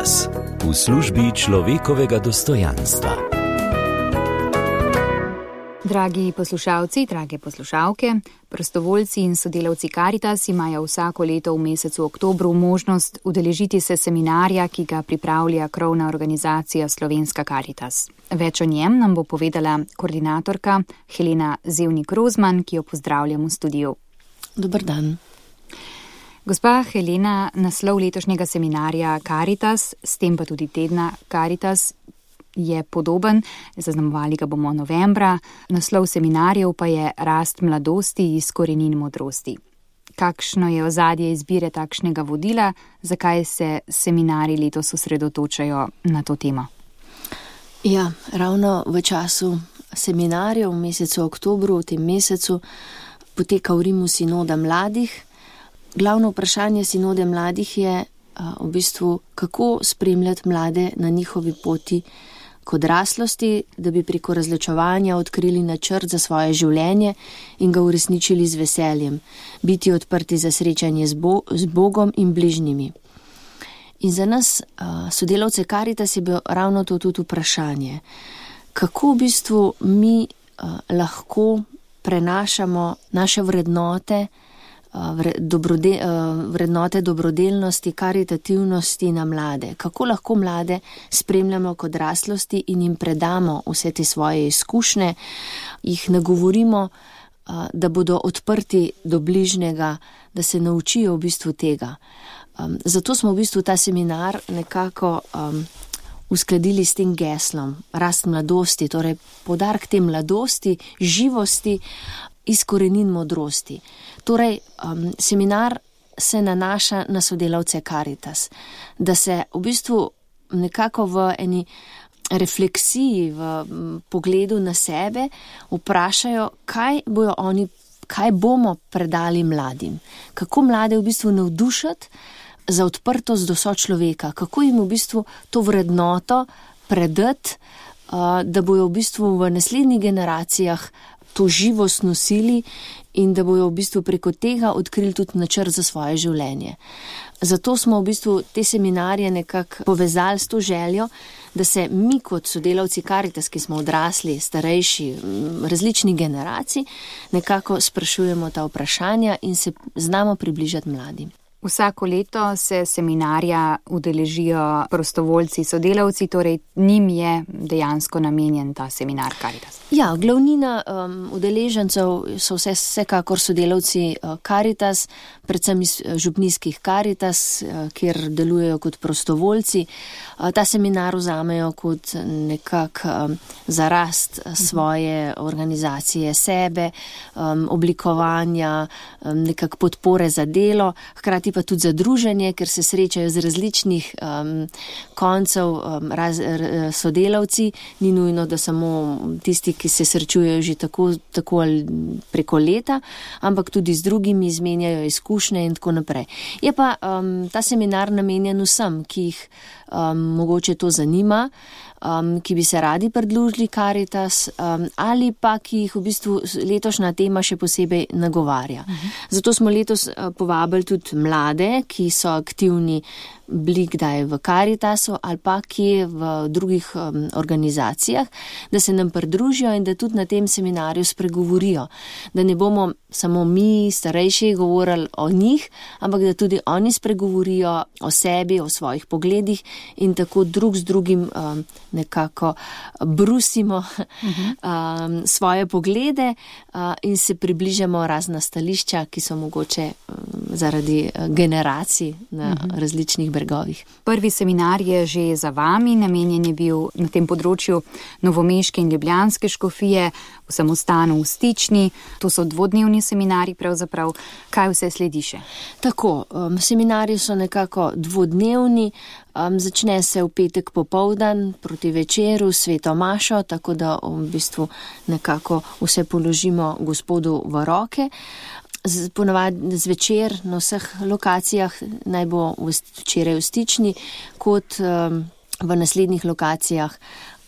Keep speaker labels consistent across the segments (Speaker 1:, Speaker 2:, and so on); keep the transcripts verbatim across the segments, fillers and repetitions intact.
Speaker 1: Karitas, v službi človekovega dostojanstva.
Speaker 2: Dragi poslušalci, drage poslušalke, prostovoljci in sodelavci Karitas imajo vsako leto v mesecu oktobru možnost udeležiti se seminarja, ki ga pripravlja krovna organizacija Slovenska Karitas. Več o njem nam bo povedala koordinatorka Helena Zevnik-Rozman, ki jo pozdravljam v studiu.
Speaker 3: Dober dan.
Speaker 2: Gospa Helena, naslov letošnjega seminarja Karitas, s tem pa tudi tedna Karitas, je podoben, zaznamovali ga bomo novembra, naslov seminarjev pa je Rast mladosti iz korenin modrosti. Kakšno je ozadje izbire takšnega vodila, zakaj se seminarji letos osredotočajo na to temo?
Speaker 3: Ja, ravno v času seminarjev, v mesecu oktobru, v tem mesecu, poteka v Rimu sinoda mladih. Glavno vprašanje sinode mladih je v bistvu, kako spremljati mlade na njihovi poti k odraslosti, da bi preko razločevanja odkrili načrt za svoje življenje in ga uresničili z veseljem, biti odprti za srečanje z, Bo- z Bogom in bližnjimi. In za nas, sodelavce Karitas, je bilo ravno to tudi vprašanje, kako v bistvu mi lahko prenašamo naše vrednote, Dobrode, vrednote dobrodelnosti, karitativnosti na mlade. Kako lahko mlade spremljamo k odraslosti in jim predamo vse te svoje izkušnje, jih nagovorimo, da bodo odprti do bližnjega, da se naučijo v bistvu tega. Zato smo v bistvu ta seminar nekako um, uskladili s tem geslom Rast mladosti, torej poudarek te mladosti, živosti iz korenin modrosti. Torej, um, seminar se nanaša na sodelavce Karitas, da se v bistvu nekako v eni refleksiji, v m, pogledu na sebe vprašajo, kaj bojo oni, kaj bomo predali mladim, kako mlade v bistvu navdušati za odprtost do sočloveka, kako jim v bistvu to vrednoto predati, uh, da bojo v bistvu v naslednjih generacijah to živost nosili in da bojo v bistvu preko tega odkrili tudi načrt za svoje življenje. Zato smo v bistvu te seminarje nekako povezali s to željo, da se mi kot sodelavci Karitas, ki smo odrasli, starejši, različnih generacij, nekako sprašujemo ta vprašanja in se znamo približati mladim.
Speaker 2: Vsako leto se seminarja udeležijo prostovoljci, sodelavci, torej njim je dejansko namenjen ta seminar Karitas.
Speaker 3: Ja, glavnina um, udeležencev so vse, vsekakor sodelavci uh, Karitas, predvsem iz uh, župnijskih Karitas, uh, kjer delujejo kot prostovoljci. Uh, ta seminar vzamejo kot nekak um, za rast svoje organizacije, sebe, um, oblikovanja, um, nekak podpore za delo, hkrati pa tudi za druženje, ker se srečajo z različnih um, koncev um, raz, r, sodelavci. Ni nujno, da samo tisti, ki se srečujejo že tako, tako ali preko leta, ampak tudi z drugimi izmenjajo izkušnje in tako naprej. Je pa um, ta seminar namenjen vsem, ki jih um, mogoče to zanima, um, ki bi se radi pridružili Karitas um, ali pa ki jih v bistvu letošnja tema še posebej nagovarja. Uh-huh. Zato smo letos uh, povabili tudi mlade, ki so aktivni bili kdaj v Karitasu ali pa kje v drugih um, organizacijah, da se nam pridružijo in da tudi na tem seminarju spregovorijo. Da ne bomo samo mi, starejši, govorili o njih, ampak da tudi oni spregovorijo o sebi, o svojih pogledih in tako drug z drugim um, nekako brusimo uh-huh. um, svoje poglede uh, in se približamo razna stališča, ki so mogoče um, zaradi uh, generacij na uh-huh. različnih bregovih.
Speaker 2: Prvi seminar je že za vami, namenjen je bil na tem področju novomeške in ljubljanske škofije, v samostanu v Stični. To so dvodnevni seminari pravzaprav. Kaj vse sledi še?
Speaker 3: Tako, um, seminari so nekako dvodnevni, um, začne se v petek popoldan proti večeru, sveto mašo, tako da v bistvu nekako vse položimo Gospodu v roke. Ponavadi zvečer na vseh lokacijah, naj bo včeraj v Stični, kot um, v naslednjih lokacijah,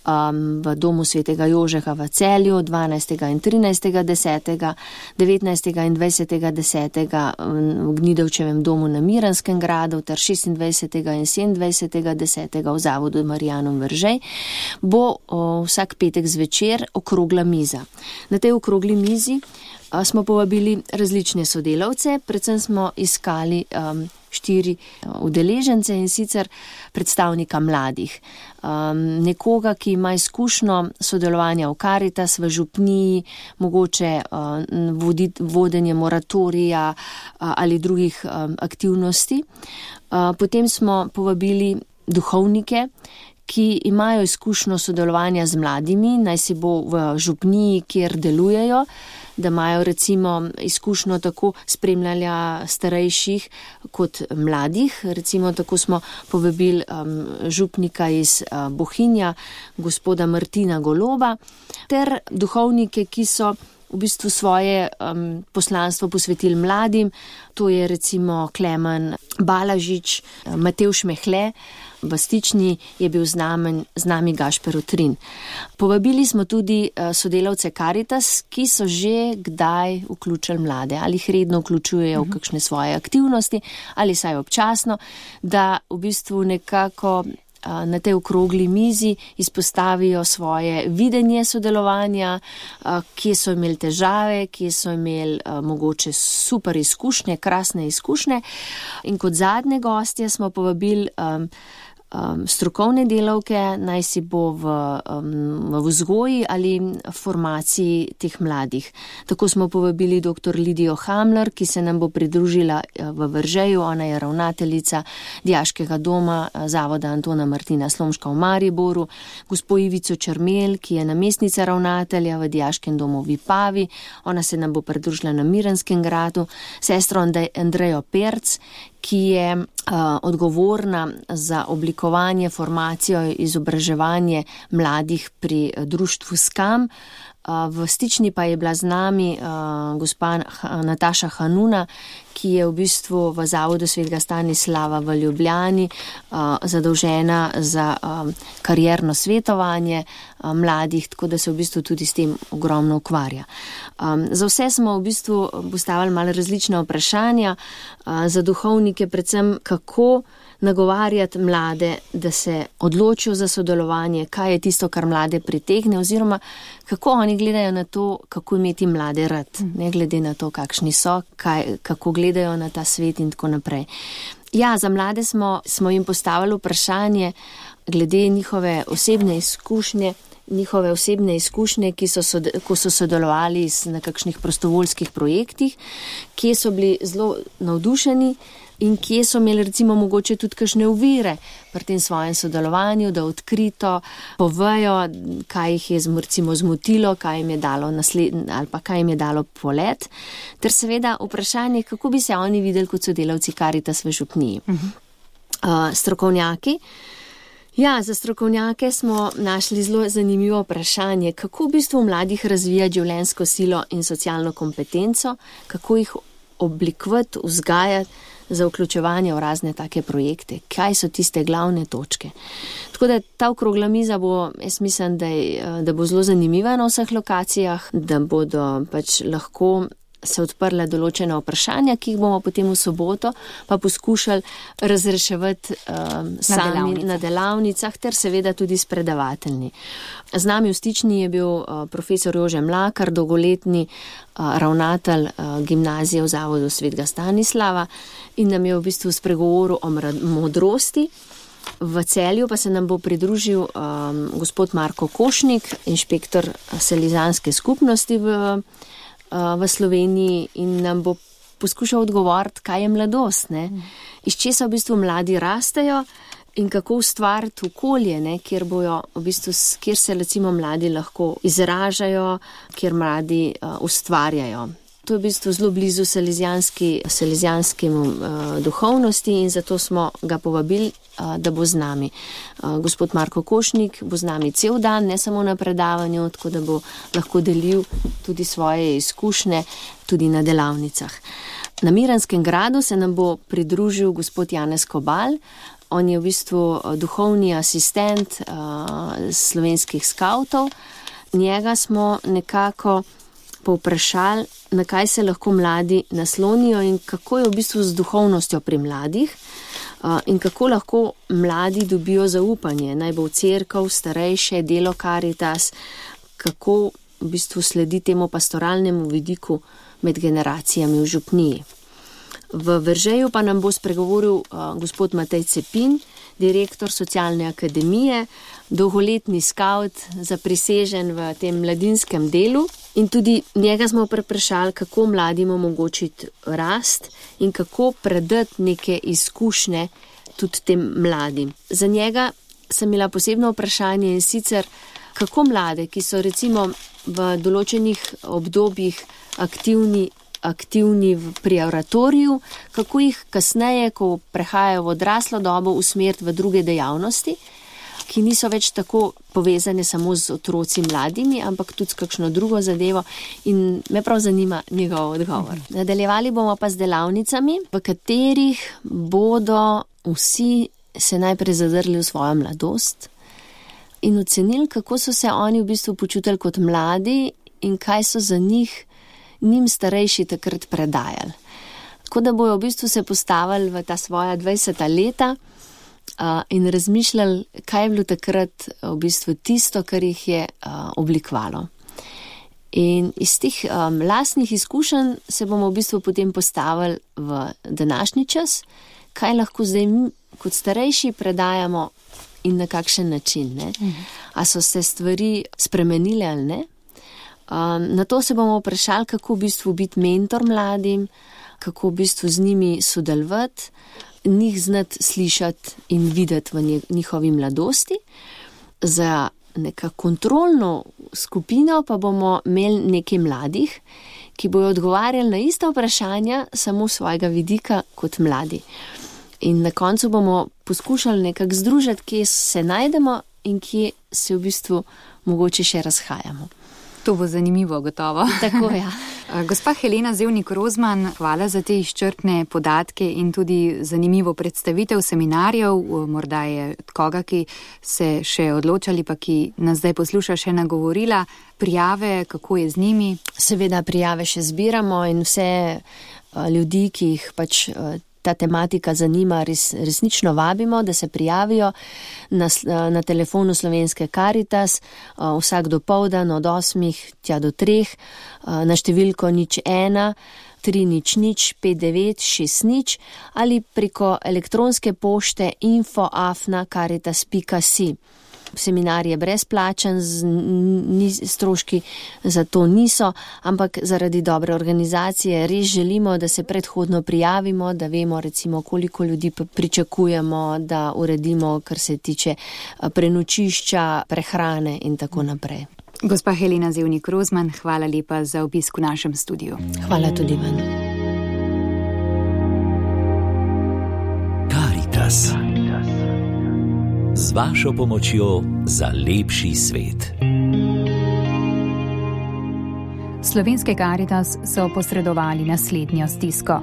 Speaker 3: um, v domu svetega Jožeha v Celju dvanajstega in trinajstega desetega, devetnajstega in dvajsetega desetega v Gnidovčevem domu na Miranskem gradu ter šestindvajsetega in sedemindvajsetega desetega v Zavodu Marijanom Veržej, bo o, vsak petek zvečer okrogla miza. Na tej okrogli mizi a, smo povabili različne sodelavce, predvsem smo iskali um, štiri udeležence in sicer predstavnika mladih. Um, nekoga, ki ima izkušnjo sodelovanja v Karitas, v župniji, mogoče uh, vodit, vodenje moratorija uh, ali drugih um, aktivnosti. Uh, potem smo povabili duhovnike, ki imajo izkušnjo sodelovanja z mladimi, naj si bo v župniji, kjer delujejo, da imajo recimo izkušnjo tako spremljanja starejših kot mladih. Recimo tako smo povabili um, župnika iz uh, Bohinja, gospoda Martina Goloba, ter duhovnike, ki so v bistvu svoje um, poslanstvo posvetili mladim. To je recimo Klemen Balažič, Matevž Mehle, v Stični je bil z nami, z nami Gašper Utrin. Povabili smo tudi sodelavce Karitas, ki so že kdaj vključili mlade, ali jih redno vključujejo v kakšne svoje aktivnosti, ali saj občasno, da v bistvu nekako na tej okrogli mizi izpostavijo svoje videnje sodelovanja, kje so imeli težave, kje so imeli mogoče super izkušnje, krasne izkušnje. In kot zadnje gostje smo povabili um, um, strokovne delavke, naj si bo v, um, v vzgoji ali formaciji teh mladih. Tako smo povabili dr. Lidijo Hamler, ki se nam bo pridružila v Veržeju. Ona je ravnateljica Dijaškega doma Zavoda Antona Martina Slomška v Mariboru, gospo Ivico Črmel, ki je namestnica ravnatelja v Dijaškem domu v Vipavi. Ona se nam bo pridružila na Miranskem gradu, sestro Andrejo Perc, ki je uh, odgovorna za oblikovanje, formacijo, izobraževanje mladih pri društvu Skam. Uh, v Stični pa je bila z nami uh, gospa Nataša Hanuna, ki je v bistvu v Zavodu svetega Stanislava v Ljubljani uh, zadolžena za um, karierno svetovanje uh, mladih, tako da se v bistvu tudi s tem ogromno ukvarja. Um, za vse smo v bistvu postavili malo različna vprašanja, uh, za duhovnike predvsem kako nagovarjati mlade, da se odločijo za sodelovanje, kaj je tisto, kar mlade pritegne, oziroma kako oni gledajo na to, kako imeti mlade rad, ne glede na to, kakšni so, kaj, kako gledajo na ta svet in tako naprej. Ja, za mlade smo, smo jim postavili vprašanje glede njihove osebne izkušnje, njihove osebne izkušnje, ki so, sod, ko so sodelovali na kakšnih prostovoljskih projektih, kje so bili zelo navdušeni in kje so imeli recimo mogoče tudi kakšne ovire pri tem svojem sodelovanju, da odkrito povejo, kaj jih je recimo zmotilo, kaj jim je dalo nasled, ali pa kaj jim je dalo polet, ter seveda vprašanje, kako bi se oni videli kot sodelavci Karitas v župniji. Uh-huh. Uh, strokovnjaki. Ja, za strokovnjake smo našli zelo zanimivo vprašanje, kako v bistvu mladih razvijati življenjsko silo in socialno kompetenco, kako jih oblikovati, vzgajati za vključevanje v razne take projekte, kaj so tiste glavne točke. Tako da ta okrogla miza bo, jaz mislim, da, je, da bo zelo zanimiva na vseh lokacijah, da bodo pač lahko se odprla določena vprašanja, ki jih bomo potem v soboto pa poskušali razreševati um, sami na delavnicah. na delavnicah, ter seveda tudi s predavatelji. Z nami v Stični je bil uh, profesor Jože Mlakar, dolgoletni uh, ravnatelj uh, gimnazije v Zavodu svetega Stanislava, in nam je v bistvu spregovoril o modrosti. V Celju pa se nam bo pridružil um, gospod Marko Košnik, inšpektor Selizanske skupnosti v v Sloveniji, in nam bo poskušal odgovoriti, kaj je mladost, ne? Iz česa v bistvu mladi rastejo in kako ustvariti okolje, ne? Kjer bojo v bistvu, kjer se recimo mladi lahko izražajo, kjer mladi uh, ustvarjajo. To je v bistvu zelo blizu selezijanskemu uh, duhovnosti, in zato smo ga povabili, uh, da bo z nami. Uh, gospod Marko Košnik bo z nami cel dan, ne samo na predavanju, tako da bo lahko delil tudi svoje izkušnje tudi na delavnicah. Na Miranskem gradu se nam bo pridružil gospod Janez Kobal. On je v bistvu duhovni asistent uh, slovenskih skavtov. Njega smo nekako povprašali, na kaj se lahko mladi naslonijo in kako je v bistvu z duhovnostjo pri mladih uh, in kako lahko mladi dobijo zaupanje, naj bo v cerkev, starejše, delo Karitas, kako v bistvu sledi temu pastoralnemu vidiku med generacijami v župniji. V Veržeju pa nam bo spregovoril uh, gospod Matej Cepin, direktor socialne akademije, dolgoletni skavt, zaprisežen v tem mladinskem delu. In tudi njega smo preprašali, kako mladim omogočiti rast in kako predati neke izkušnje tudi tem mladim. Za njega sem imela posebno vprašanje in sicer, kako mlade, ki so recimo v določenih obdobjih aktivni, aktivni pri oratoriju, kako jih kasneje, ko prehajajo v odraslo dobo, usmeriti v druge dejavnosti, ki niso več tako povezane samo z otroci mladimi, ampak tudi s kakšno drugo zadevo, in me prav zanima njegov odgovor. Nadaljevali bomo pa z delavnicami, v katerih bodo vsi se najprej zadrli v svojo mladost in ocenili, kako so se oni v bistvu počutili kot mladi in kaj so za njih njim starejši takrat predajali. Tako da bojo v bistvu se postavili v ta svoja dvajseta leta uh, in razmišljali, kaj je bilo takrat v bistvu tisto, kar jih je uh, oblikovalo. In iz teh um, lastnih izkušenj se bomo v bistvu potem postavili v današnji čas, kaj lahko zdaj mi kot starejši predajamo in na kakšen način. Ne? Mhm. A so se stvari spremenile ali ne? Um, na to se bomo vprašali, kako v bistvu biti mentor mladim, kako v bistvu z njimi sodelovati, njih znati slišati in videti v njihovi mladosti. Za neka kontrolno skupino pa bomo imeli nekaj mladih, ki bojo odgovarjali na ista vprašanja, samo svojega vidika kot mladi. In na koncu bomo poskušali nekako združiti, kje se najdemo in kje se v bistvu mogoče še razhajamo.
Speaker 2: To bo zanimivo, gotovo.
Speaker 3: Tako, ja.
Speaker 2: Gospa Helena Zevnik-Rozman, hvala za te izčrpne podatke in tudi zanimivo predstavitev seminarjev. Morda je koga, ki se še odločali, pa ki nas zdaj posluša, še nagovorila. Prijave, kako je z njimi?
Speaker 3: Seveda prijave še zbiramo in vse ljudi, ki jih pač ta tematika zanima, res, resnično vabimo, da se prijavijo na, na telefonu Slovenske Karitas vsak dopoldan od osmih tja do treh na številko nič ena tri nič nič pet devet šest nič ali preko elektronske pošte info afna karitas pika si. Seminar je brezplačen, stroški za to niso, ampak zaradi dobre organizacije res želimo, da se predhodno prijavimo, da vemo recimo, koliko ljudi pričakujemo, da uredimo, kar se tiče prenočišča, prehrane in tako naprej.
Speaker 2: Gospa Helena Zevnik-Rozman, hvala lepa za obisk v našem studiu.
Speaker 3: Hvala tudi vam.
Speaker 1: Karitas. Z vašo pomočjo za lepši svet.
Speaker 2: Slovenske Karitas so posredovali naslednjo stisko.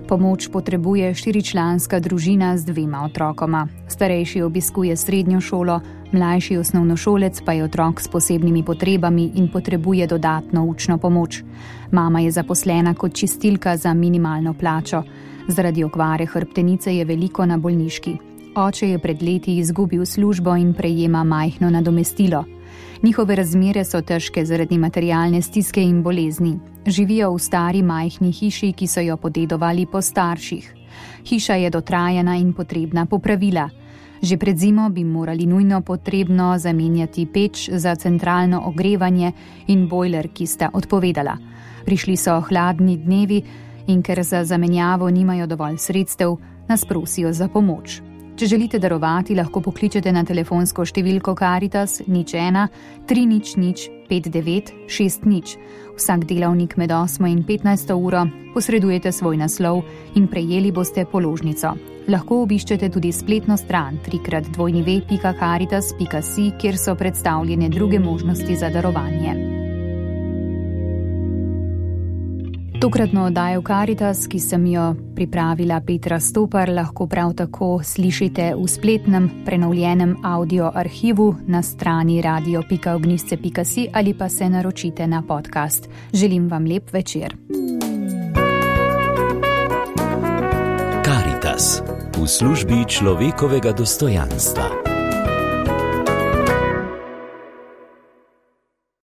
Speaker 2: Pomoč potrebuje štiričlanska družina z dvema otrokoma. Starejši obiskuje srednjo šolo, mlajši osnovnošolec pa je otrok s posebnimi potrebami in potrebuje dodatno učno pomoč. Mama je zaposlena kot čistilka za minimalno plačo. Zaradi okvare hrbtenice je veliko na bolniški. Oče je pred leti izgubil službo in prejema majhno nadomestilo. Njihove razmere so težke zaradi materialne stiske in bolezni. Živijo v stari majhni hiši, ki so jo podedovali po starših. Hiša je dotrajana in potrebna popravila. Že pred zimo bi morali nujno potrebno zamenjati peč za centralno ogrevanje in bojler, ki sta odpovedala. Prišli so hladni dnevi in ker za zamenjavo nimajo dovolj sredstev, nas prosijo za pomoč. Če želite darovati, lahko pokličete na telefonsko številko Karitas nič ena tri nič nič pet devet šest nič. Vsak delavnik med osmo in petnajsto uro posredujete svoj naslov in prejeli boste položnico. Lahko obiščete tudi spletno stran trikrat dvojni ve pika karitas pika si, kjer so predstavljene druge možnosti za darovanje. Tokratno oddajo Karitas, ki sem jo pripravila Petra Stopar, lahko prav tako slišite v spletnem prenovljenem audio arhivu na strani radio pika ognjišče pika si ali pa se naročite na podcast. Želim vam lep večer.
Speaker 1: Karitas v službi človekovega dostojanstva.